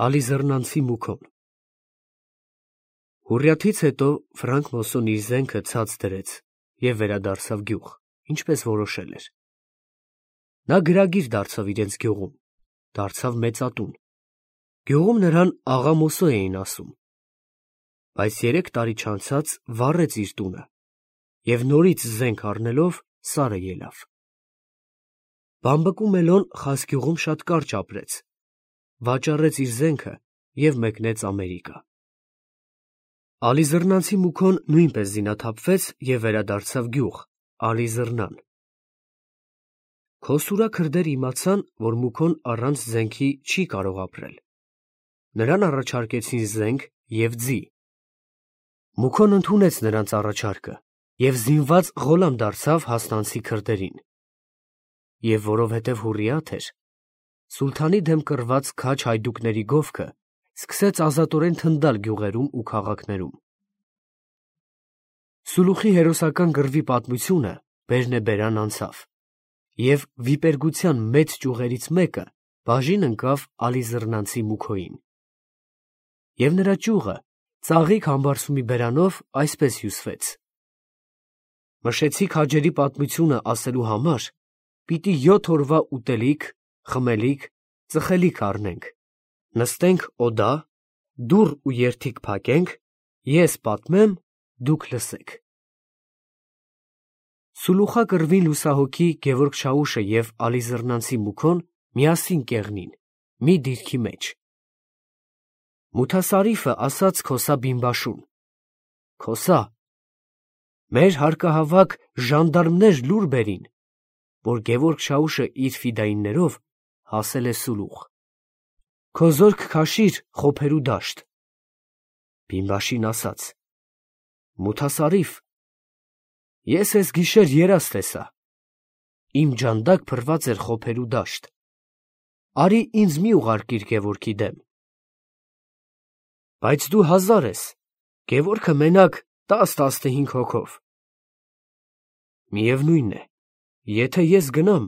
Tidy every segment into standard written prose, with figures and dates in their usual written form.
Ալիզռնանցի մուքոն Հուռյաթից հետո Ֆրանկ Մոսոն իր զենքը ցած դրեց և վերադարձավ գյուղ, ինչպես որոշել էր։ Նա գրագիր դարձավ իրենց գյուղում, դարձավ մեծատուն։ Գյուղում նրան աղա Մոսո էին ասում։ Բայց 3 տարի չանցած վառեց իր տունը և նորից զենք առնելով սարը ելավ։ Բամբկու Մելոն Խասգյուղում շատ կարճ ապրեց, վաճառեց իր զենքը և մեկնեց Ամերիկա։ Ալիզռնանցի մուքոն նույնպես զինաթափվեց և վերադարձավ գյուղ, Ալիզռնան։ Քոսուրա քրդերը իմացան, որ մուքոն առանց զենքի չի կարող ապրել։ Նրան առաջարկեցին զենք և ձի։ Մուքոն ընդունեց նրանց առաջարկը և զինված ғոլամ դարձավ հասնանցի քրդերին։ Եվ որովհետև հուռիաթ էր, սուլթանի դեմ կռված քաջ հայդուկների գովքը սկսեց ազատորեն թնդալ գյուղերում ու քաղաքներում։ Սուլուխի հերոսական կռվի պատմությունը բերնեբերան անցավ, և վիպերգության մեծ ճյուղերից մեկը բաժին ընկավ Ալիզռնանցի մուքոյին։ Եվ նրա ճյուղը ծաղիկ համբարձումի բերանով այսպես հյուսվեց. «Մշեցի քաջերի պատմությունը ասելու համար պիտի 7 օրվա ուտելիք, խմելիք, ծխելիք առնենք, նստենք օդա, դուռ ու երդիկ փակենք, ես պատմեմ, դուք լսեք»։ Սուլուխա կռվին լուսահոգի Գևորգ Շաուշը և Ալիզռնանցի մուքոն միասին կեղնին, մի դիրքի մեջ։ Մութասարիֆը ասաց Քոսա Բինբաշուն. «Քոսա, մեր հարկահավաք ժանդարմներ լուր բերին, որ Գևորգ Շաուշը իր ֆիդայիններով հասել է Սուլուխ։ Քո զորք քաշիր խոփերու դաշտ»։ Բինբաշին ասաց. «Մութասարիֆ, ես էս գիշեր երազ տեսա, իմ ջանդակ փռված էր խոփերու դաշտ, արի ինձ մի ուղարկիր Գևորգի դեմ։ Բայց դու 1000 ես, Գևորգը մենակ 10-15 հոգով։ Միևնույն է, եթե ես գնամ,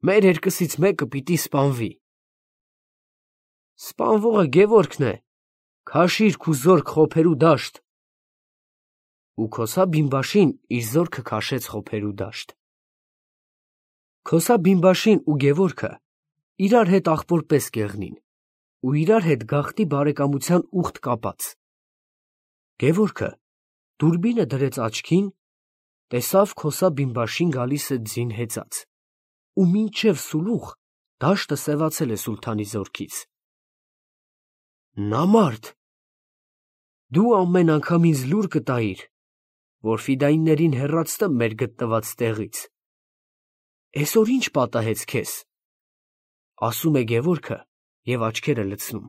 մեր երկուսից մեկը պիտի սպանվի։ Սպանվողը Գևորգն է, քաշիր քու զորք խոփերու դաշտ»։ Ու Քոսա Բինբաշին իր զորքը քաշեց խոփերու դաշտ։ Քոսա Բինբաշին ու Գևորգը իրար հետ աղբոր պես կեղնին ու իրար հետ գաղտնի բարեկամության ուխտ կապած։ Գևորգը դուրբինը դրեց աչքին, տեսավ Քոսա Բինբաշին գալիս է ձին հեծած, ու մինչև Սուլուխ դաշտը սևացել է սուլթանի զորքից։ Նամարդ, դու ամեն անգամ ինձ լուր կտայիր, որ ֆիդայիններին հեռացնեմ մեր գտնված տեղից։ Էսօր ինչ պատահեց քեզ, ասում է Գևորգը և աչքերը լցնում։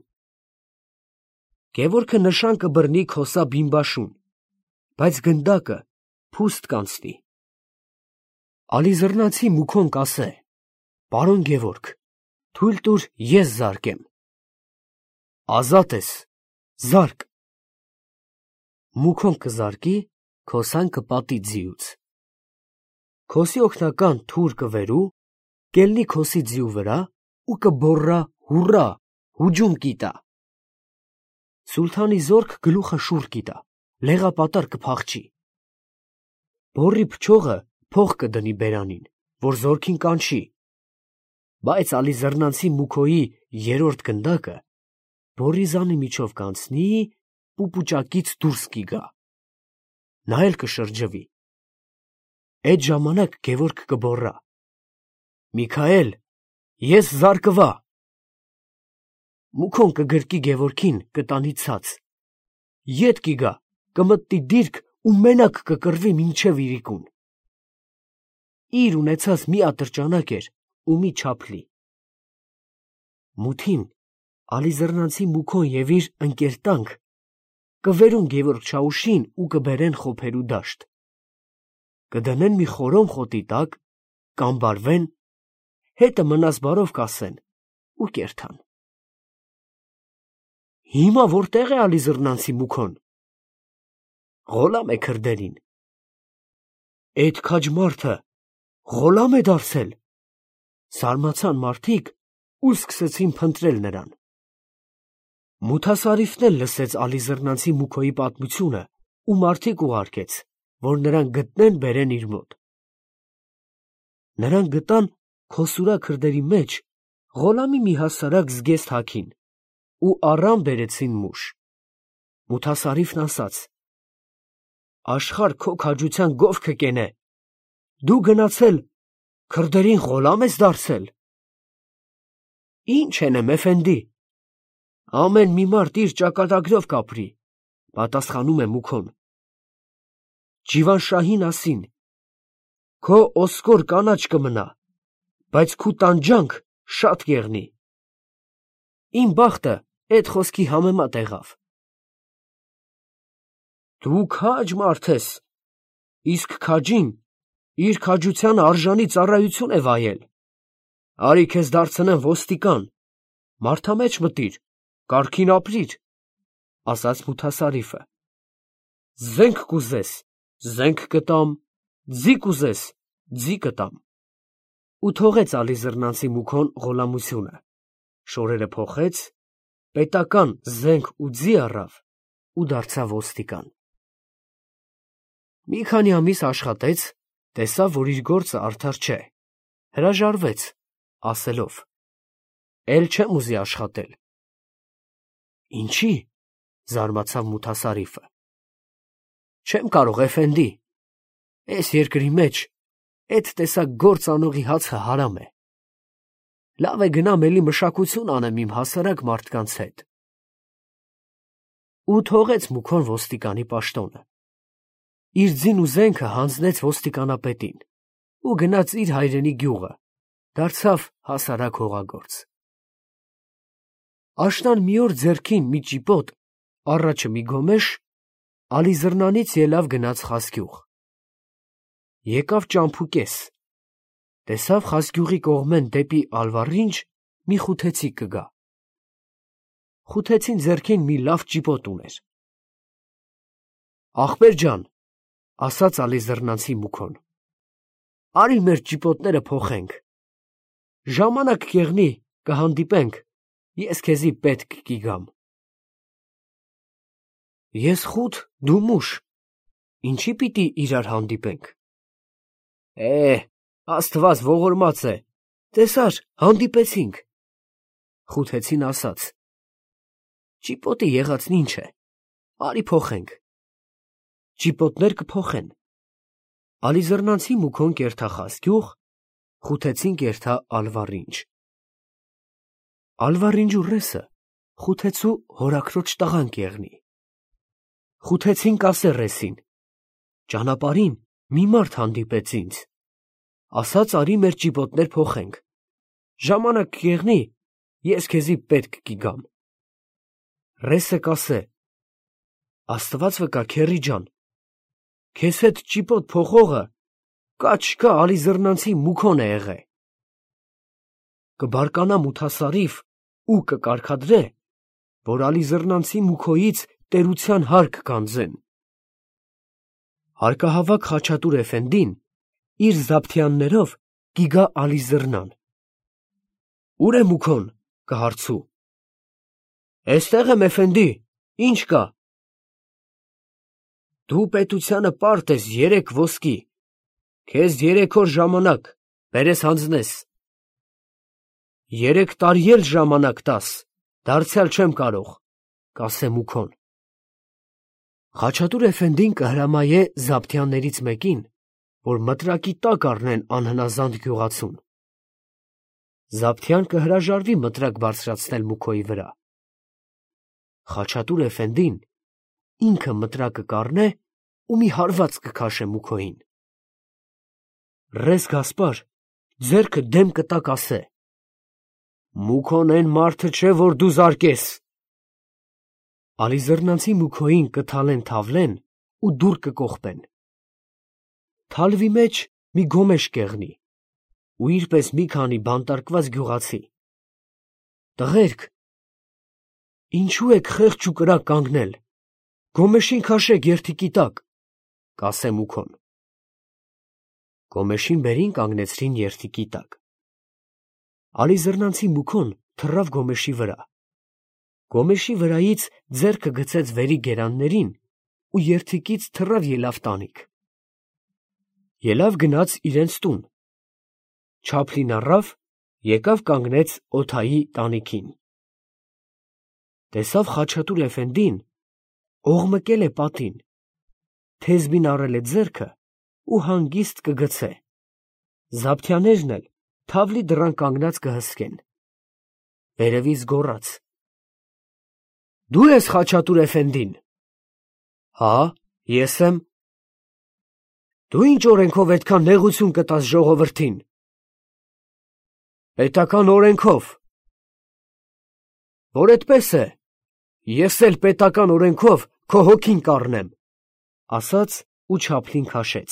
Գևորգը նշան կբռնի Քոսա Բինբաշուն, բայց գնդակը փուստ կանցնի։ Ալիզռնանցի մուքոն կասե. «Պարոն Գևորգ, թույլ տուր ես զարկեմ»։ Ազատ ես, զարկ։ Մուքոն կզարկի, Քոսան կպատի ձիուց։ Քոսի օգնական թուր կվերու, կելնի Քոսի ձիու վրա ու կբոռա հուռա, հուջում կիտա։ Սուլթանի զորք գլուխը շուռ կիտա, լեղապատար կփախչի։ Բոռի փչողը փող կդնի բերանին, որ զորքին կանչի, բայց Ալիզռնանցի մուքոյի 3-րդ գնդակը բոռի զանի միջով կանցնի, պուպուճակից դուրս կիգա։ Նա էլ կշրջվի։ Էդ ժամանակ Գևորգ կբոռա. «Միքայել, ես զարկվա»։ Մուքոն կգրկի Գևորգին, կտանի ցած, ետ կիգա, կմտնի դիրք ու մենակ կկռվի մինչև իրիկուն։ Իր ունեցած մի ատրճանակ էր ու մի չափլի։ Մութին Ալիզռնանցի մուքոն և իր ընկերտանք կվերուն Գևորգ Շաուշին ու կբերեն խոփերու դաշտ, կդնեն մի խորոմ խոտի տակ, կամբարվեն, հետը մնաս բարով կասեն ու կերթան։ Հիմա որտե՞ղ է Ալիզռնանցի մուքոն։ Ղոլամ է քրդերին։ Էդ քաջ մարդը ղոլամ է դարձել։ Զարմացան մարդիկ ու սկսեցին փնտրել նրան։ Մութասարիֆն էլ լսեց Ալիզռնանցի Մուքոյի պատմությունը ու մարդիկ ուղարկեց, որ նրան գտնեն բերեն իր մոտ։ Նրան գտան Քոսուրա քրդերի մեջ Ղոլամի մի հասարակ զգեստ հագին ու առան բերեցին մուշ։ Մութասարիֆն ասաց. «Աշխարհ քո քաջության գովքը կենե, դու գնացել քրդերին Ղոլամ ես դարձել»։ «Ինչ ենեմ, էֆենդի, ամեն մի մարդ իր ճակատագրով կապրի», պատասխանում է Մուքոն։ Ջիվանշահին ասին. «Քո ոսկոր կանաչ կմնա, բայց քու տանջանք շատ կեղնի»։ Իմ բախտը էդ խոսքի համեմատ եղավ։ Դու քաջ մարդ ես, իսկ քաջին իր քաջության արժանի ծառայություն է վայել։ Արի քեզ դարձնեմ ոստիկան, մարդամեջ մտիր, կարգին ապրիր, ասաց Մութասարիֆը։ Զենք կուզես, զենք կտամ, ձի կուզես, ձի կտամ։ Ու թողեց Ալիզռնանցի Մուքոն Ղոլամությունը, շորերը փոխեց, պետական զենք ու ձի առավ ու դարձավ ոստիկան։ Մի քանի ամիս աշխատեց, տեսավ, որ իր գործը արդար չէ, հրաժարվեց, ասելով. «Էլ չեմ ուզի աշխատել»։ Ինչի՞, զարմացավ Մութասարիֆը։ Չեմ կարող, էֆենդի, այս երկրի մեջ այդ տեսակ գործ անողի հացը հարամ է։ Լավ է գնամ էլի մշակություն անեմ իմ հասարակ մարդկանց հետ։ Ու թողեց Մուքոն ոստիկանի պաշտոնը։ Իր ձին ու զենքը հանձնեց ոստիկանապետին ու գնաց իր հայրենի գյուղը, դարձավ հասարակ հողագործ։ Աշնան մի օր ձեռքին մի ճիպոտ, առաջը մի գոմեշ, Ալիզռնանից ելավ գնաց Խասգյուղ։ Եկավ ճամփուկես, տեսավ Խասգյուղի կողմեն դեպի Ալվառինչ մի խութեցիկ կգա։ Խութեցին ձեռքին մի լավ ճիպոտ ուներ։ Ախպեր ջան, ասաց Ալիզռնանցի Մուքոն, արի մեր ճիպոտները փոխենք։ Ժամանակ կեղնի, կհանդիպենք, ես քեզի պետք կգամ։ Ես խութ, դու մուշ, ինչի պիտի իրար հանդիպենք։ Աստված ողորմած է, տեսար, հանդիպեցինք։ Խութեցին ասաց. Ճիպոտը եղածն ինչ է, արի փոխենք։ Ճիպոտներ կփոխեն։ Ալիզռնանցի Մուքոն կերթա Խասգյուղ, խութեցին կերթա Ալվառինչ։ Ալվառինջու ռեսը խութեցու հորաքրոջ տղան կեղնի։ Խութեցին կասե ռեսին. ճանապարհին մի մարդ հանդիպեց ինձ, ասաց արի մեր ճիպոտներ փոխենք, ժամանակ կեղնի, ես քեզի պետք կգամ։ Ռեսը կասե. Աստված վկա քեռի ջան, քեզ հետ ճիպոտ փոխողը կա չկա Ալիզռնանցի Մուքոն է եղե։ Կբարկանա Մութասարիֆ ու կկարգադրե, որ Ալիզռնանցի Մուքոյից տերության հարկ կանձեն։ Հարկահավաք Խաչատուր էֆենդին իր զաբթյաններով կիգա Ալիզռնան։ Ուր է Մուքոն, կհարցու։ Էստեղ եմ, էֆենդի, ինչ կա։ Դու պետությանը պարտ ես 3 ոսկի, քեզ 3 օր ժամանակ, բերես հանձնես։ 3 տարի էլ ժամանակ տաս, դարձյալ չեմ կարող, կասե Մուքոն։ Խաչատուր էֆենդին կհրամայե զաբթյաններից մեկին, որ մտրակի տակ առնեն անհնազանդ գյուղացուն։ Զաբթյան կհրաժարվի մտրակ բարձրացնել Մուքոյի վրա։ Խաչատուր էֆենդին ինքը մտրակը կառնե ու մի հարված կքաշե Մուքոյին։ Ռես Գասպար ձեռքը դեմ կտա կասե. Մուքոն են մարդը չէ, որ դու զարկես։ Ալիզռնանցի Մուքոյին կթալեն թավլեն ու դուռ կկողպեն։ Թալվի մեջ մի գոմեշ կեղնի ու իրպես մի քանի բանտարկված գյուղացի։ Տղերք, ինչու եք խեղճ ու կրակ կանգնել, գոմեշին քաշեք երթիկի տակ, կասե Մուքոն։ Գոմեշին բերին կանգնեցրին երթիկի տակ։ Ալիզռնանցի Մուքոն թռավ գոմեշի վրա։ Գոմեշի վրայից ձեռքը գցեց վերի գերաններին ու երդիկից թռավ ելավ տանիք։ Ելավ գնաց իրենց տուն։ Չափլին առավ, եկավ կանգնեց օթայի տանիքին։ Տեսավ Խաչատուր Էֆենդին, օղմկել է պատին, թեզբին առել է ձեռքը ու հանգիստ կգցե։ Զաբթյաներն էլ թավլի դռան կանգնած կհսկեն։ Վերևից գոռաց. «Դու ես Խաչատուր Էֆենդին»։ «Հա, ես եմ»։ «Դու ինչ օրենքով այդքան նեղություն կտաս ժողովրդին»։ «Պետական օրենքով»։ «Որ էդպես է, ես էլ պետական օրենքով քո հոգին կառնեմ», ասաց ու Չափլին քաշեց։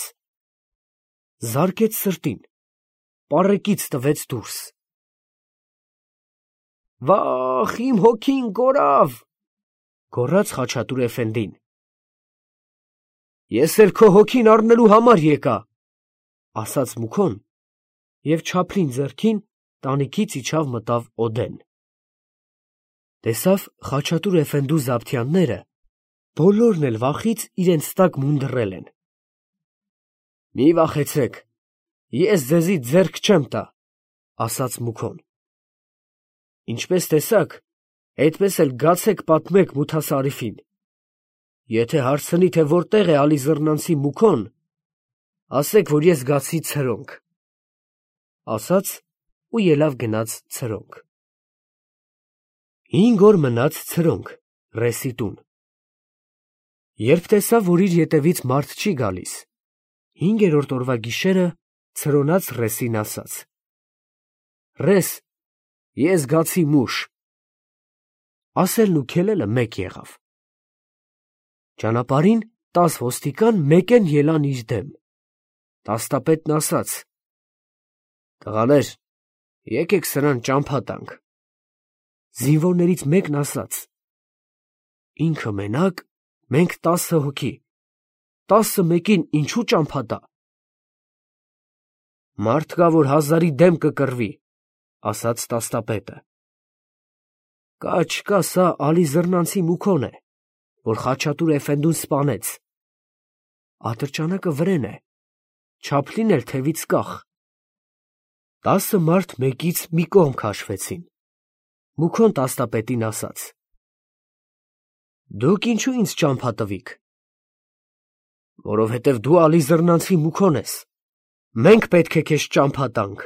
Զարկեց սրտին, պառեկից տվեց դուրս։ «Վախ, իմ հոգին կորավ», գոռաց Խաչատուր Էֆենդին։ «Ես էլ քո հոգին առնելու համար եկա», ասաց Մուքոն և Չափլին ձեռքին տանիքից իջավ մտավ օդեն։ Տեսավ Խաչատուր Էֆենդու զաբթյանները բոլորն էլ վախից իրենց տակ մունդռել են։ «Մի վախեցեք, ես ձեզի ձեռք չեմ տա», ասաց Մուքոն։ «Ինչպես տեսաք, այդպես էլ գացեք պատմեք Մութասարիֆին։ Եթե հարցնի, թե որտեղ է Ալիզռնանցի Մուքոն, ասեք, որ ես գացի ցրոնք», ասաց ու ելավ գնաց ցրոնք։ 5 օր մնաց ցրոնք, ռեսի տուն։ Երբ տեսավ, որ իր ետևից մարդ չի գալիս, 5-րդ օրվա գիշերը ցրոնած ռեսին ասաց. «Ռես, ես գացի մուշ»։ Ասելն ու քելելը մեկ եղավ։ Ճանապարհին 10 ոստիկան մեկեն ելան իր դեմ։ Տաստապետն ասաց. «Տղաներ, եկեք սրան ճամփա տանք»։ Զինվորներից մեկն ասաց. «Ինքը մենակ, մենք 10 հոգի, 10 մեկին ինչու ճամփա տա»։ «Մարդ կա, որ 1000-ի դեմ կկռվի», ասաց տաստապետը։ «Կա չկա, սա Ալիզռնանցի Մուքոն է, որ Խաչատուր Էֆենդուն սպանեց։ Ատրճանակը վրեն է, Չափլին էլ թևից կախ»։ 10 մարդ մեկից մի կողմ քաշվեցին։ Մուքոն տաստապետին ասաց. «Դուք ինչու ինձ ճամփա տվիք»։ «Որովհետև դու Ալիզռնանցի Մուքոն ես, մենք պետք է քեզ ճամփա տանք»։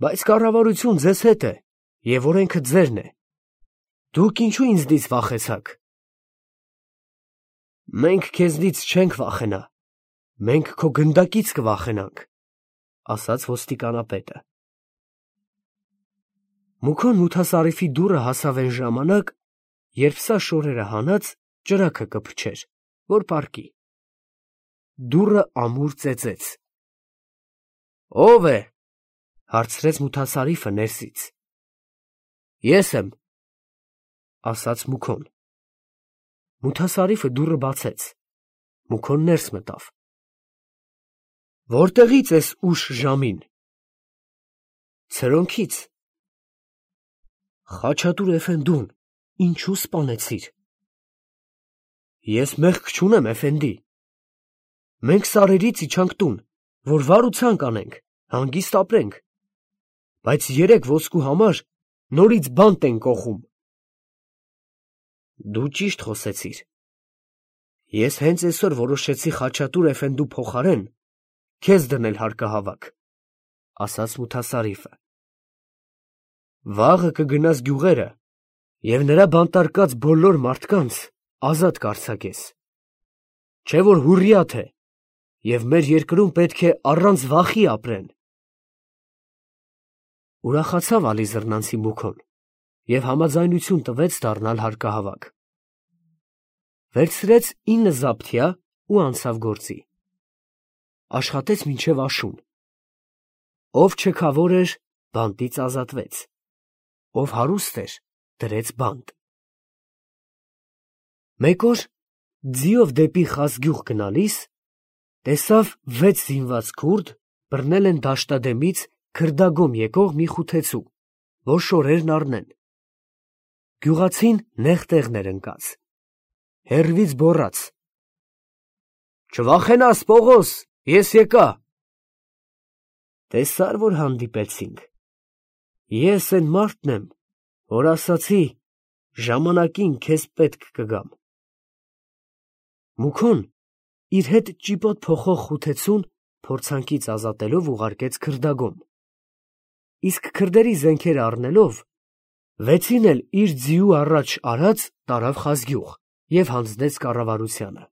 «Բայց կառավարություն ձեզ հետ է, և օրենքը ձերն է, դուք ինչու ինձնից վախեցաք»։ «Մենք քեզնից չենք վախենա, մենք քո գնդակից կվախենանք», ասաց ոստիկանապետը։ Մուքոն Մութասարիֆի դուռը հասավ այն ժամանակ, երբ սա շորերը հանած ճրագը կփչեր, որ պառկի։ Դուռը ամուր ծեծեց։ «Ո՞վ է», հարցրեց Մութասարիֆը ներսից։ «Ես եմ», ասաց Մուքոն։ Մութասարիֆը դուռը բացեց։ Մուքոն ներս մտավ։ «Որտեղից ես ուշ ժամին»։ «Ցրոնքից»։ «Խաչատուր Էֆենդուն ինչու սպանեցիր»։ «Ես մեղք չունեմ, Էֆենդի։ Մենք սարերից իջանք տուն, որ վար ու ցանկ անենք, հանգիստ ապրենք, բայց 3 ոսկու համար նորից բանտ են կոխում»։ «Դու ճիշտ խոսեցիր։ Ես հենց այսօր որոշեցի Խաչատուր Էֆենդու փոխարեն քեզ դնել հարկահավաք», ասաց Մութասարիֆը։ «Վաղը կգնաս գյուղերը և նրա բանտարկած բոլոր մարդկանց ազատ կարձակես։ Չէ՞ որ հուռիաթ է, և մեր երկրում պետք է առանց վախի ապրեն»։ Ուրախացավ Ալիզռնանցի Մուքոն և համաձայնություն տվեց դառնալ հարկահավաք։ Վերցրեց 9 զաբթյա ու անցավ գործի։ Աշխատեց մինչև աշուն։ Ով չքավոր էր, բանտից ազատվեց, ով հարուստ էր, դրեց բանտ։ Մեկ օր ձիով դեպի Խազգյուղ գնալիս տեսավ 6 զինված քուրդ բռնել են դաշտադեմից քրդագոմ եկող մի խութեցու, որ շորերն առնեն։ Գյուղացին նեղ տեղներ ընկած։ Հեռվից բոռաց. «Չվախենաս, Պողոս, ես եկա»։ Տեսա՞ր, որ հանդիպեցինք։ Ես այն մարդն եմ, որ ասացի, ժամանակին քեզ պետք կգամ։ Մուքոն իր հետ ճիպոտ փոխող խութեցուն փորձանքից ազատելով ուղարկեց քրդագոմ, իսկ քրդերի զենքերը առնելով, վեցին էլ իր ձիու առաջ արած տարավ Խազգյուղ և հանձնեց կառավարությանը։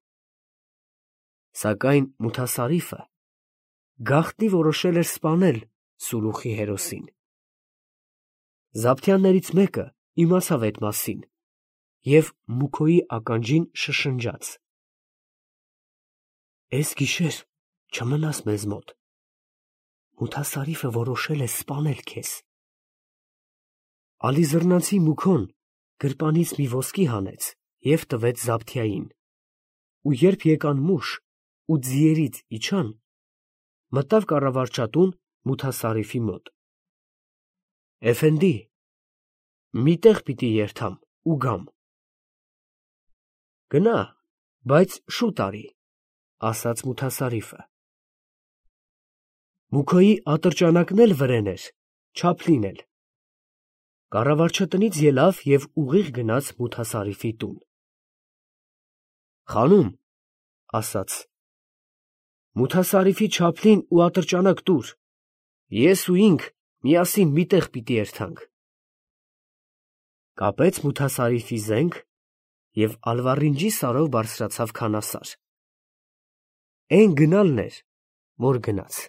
Սակայն Մութասարիֆը գաղտնի որոշել էր սպանել Սուրուխի հերոսին։ Զաբթյաններից մեկը իմացավ այդ մասին և Մուքոյի ականջին շշնջաց. «Էս գիշեր չմնաս մեզ մոտ, Մութասարիֆը որոշել է սպանել քեզ»։ Ալիզռնացի Մուքոն գրպանից մի ոսկի հանեց և տվեց Զաբթյային, ու երբ եկան մուշ ու ձիերից իջան, մտավ կառավարչատուն Մութասարիֆի մոտ։ «Էֆենդի, մի տեղ պիտի երթամ ու գամ»։ «Գնա, բայց շուտ արի», ասաց Մութասարիֆը։ Մուքոյի ատրճանակն էլ վրեն էր, չափլին էլ։ Կառավարչատնից ելավ և ուղիղ գնաց Մութասարիֆի տուն։ «Խանում, ասաց, Մութասարիֆի չափլին ու ատրճանակ տուր, ես ու ինք միասին մի տեղ պիտի երթանք»։ Կապեց Մութասարիֆի զենք և ալվարինջի սարով բարձրացավ քանասար։ Էն գնալն էր, որ գնաց։